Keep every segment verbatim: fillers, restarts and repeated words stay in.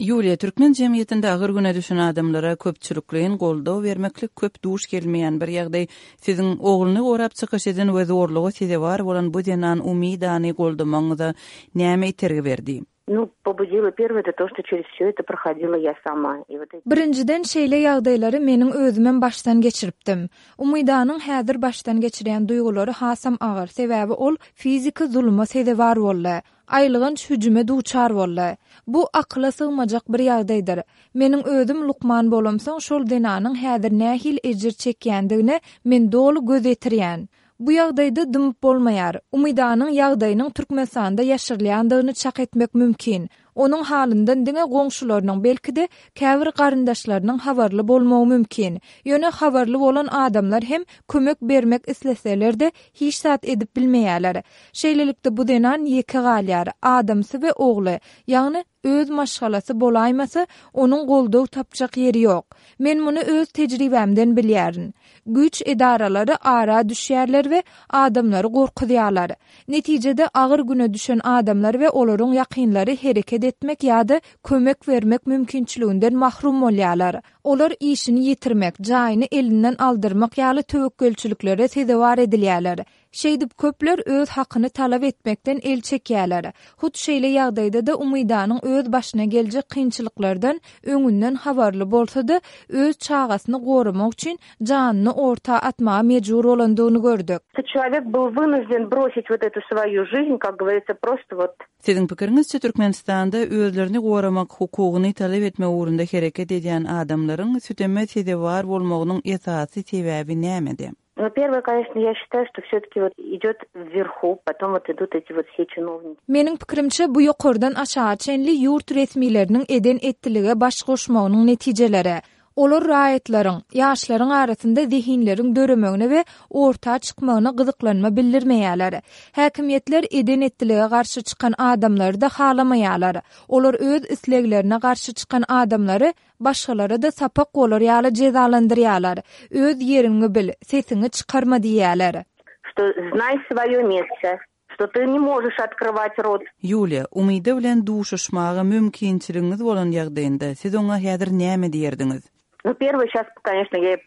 Ýuliýa, türkmen jemgyýetinde agyr güne düşen adamlara köpçülikleýin goldaw bermeklik köp duş gelmeýän bir ýagdaý. Siziň ogluny gorap çykyş eden we zorluga sezewar bolan bu zenan Umidany goldamagyňyza näme itergi berdi? Ну, побудило первое, это то, что через все это проходила я сама. И вот эти Birinjiden şeýle ýagdaýlary meniň özümem başdan geçiripdim. Umidanyň häzir başdan geçirýän duýgulary hasam agyr, sebäbi ol fiziki zuluma sezewar boldy. Aýylganç hüjüme duçar boldy. Bu akyla sygmajak bir ýagdaýdyr. Meniň özüm lukman bolamsoň şol zenanyň häzir nähili ejir çekýändigine men doly göz ýetirýän. Bu ýagdaýda dymyp bolmaýar. Umidanyň ýagdaýynyň Türkmenistanda ýaşyrylýandygyny çak etmek mümkin. Onuň halyndan diňe goňşularynyň belki-de käbir garyndaşlarynyň habarly bolmagy mümkin. Ýöne habarly bolan adamlar hem kömek bermek isleseler-de hiç zat edip bilmeýärler. Şeýlelikde bu zenan ýeke galýar. Adamsy we ogly, ýagny öz maşgalasy bolaýmasa, onuň goldaw tapjak ýeri ýok. Men muny öz tejribämden bilýärin. Güýç edaralary ara düşýärler we adamlary gorkuzýarlar. Netijede agyr güne düşen adamlar we olaryň ýakynlary hereket etmek ýa-da kömek bermek mümkinçiliginden mahrum bolýarlar. Olar işini ýitirmek, jaýyny elinden aldyrmak ýaly töwekgelçiliklere sezewar edilýärler. Şeýdip köpler öz hakyny talap etmekden el çekýärler. Hut şeýle ýagdaýda-da Umidanyň öz başyna geljek kynçylyklardan öňünden habarly bolsa-da, öz çagasyny goramak üçin janyny orta atmaga mejbur bolandygyny gördük. Человек был вынужден бросить вот эту свою жизнь, как говорится, просто вот Siziň pikiriňizçe Türkmenistanda özlerini goramak hukugyny talap etmek ugrunda hereket edýän adamlaryň süteme sezewar bolmagynyň esasy sebäbi nämede? Ну, первое, конечно, я считаю, что все-таки вот идет вверху, потом вот идут эти вот все чиновники. Meniň pikirimçe bu ýokardan aşağı çenli ýurt resmileriniň eden etdilige baş goşmagynyň netijeleri. Olar raýatlaryň, ýaşlaryň arasynda zehinleriň döremegine we orta çykmagyna gyzyklanma bildirmeýärler. Häkimiýetler eden etdilige garşy çykan adamlary da halamaýarlar. Olar öz isleglerine garşy çykan adamlary başgalara da sapak bolar ýaly jezalandyrýarlar. Öz ýeriňi bil, sesiňi çykarma diýýärler. Что знай свое место, что ты не можешь открывать рот. Ýuliýa, Umida bilen duşuşmaga mümkinçiligiňiz bolan ýagdaýynda siz oňa häzir näme diýerdiňiz? Ну, первое, сейчас, конечно, я, э,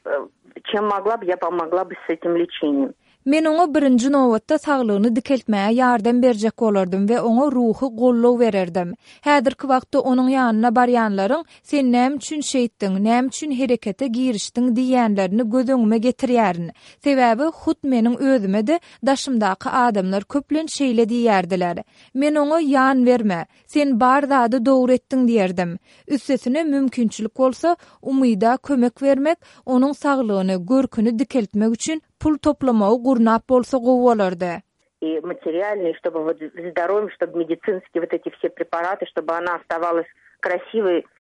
чем могла бы, я помогла бы с этим лечением. Men oňa birinji nobatda saglygyny dikeltmäge ýardam berjek bolardym we oňa ruhy goldaw bererdim. Häzirki wagtda onuň ýanyna barýanlaryň sen näme üçin şeýtdiň, näme üçin herekete girişdiň diýenlerini göz öňüme getirýärin. Sebäbi hut meniň özüme de daşymdaky adamlar köplenç şeýle diýerdiler. Men oňa ýan berme, sen bar zady dogry etdiň diýerdim. Üstesine mümkinçilik bolsa Umida kömek bermek, onuň saglygyny, görküni dikeltmek üçin pul toplamagy gurnap bolsa gowy bolardy. И материальный, чтобы вот здоровье, чтобы медицинские вот эти все препараты, чтобы она оставалась красивой.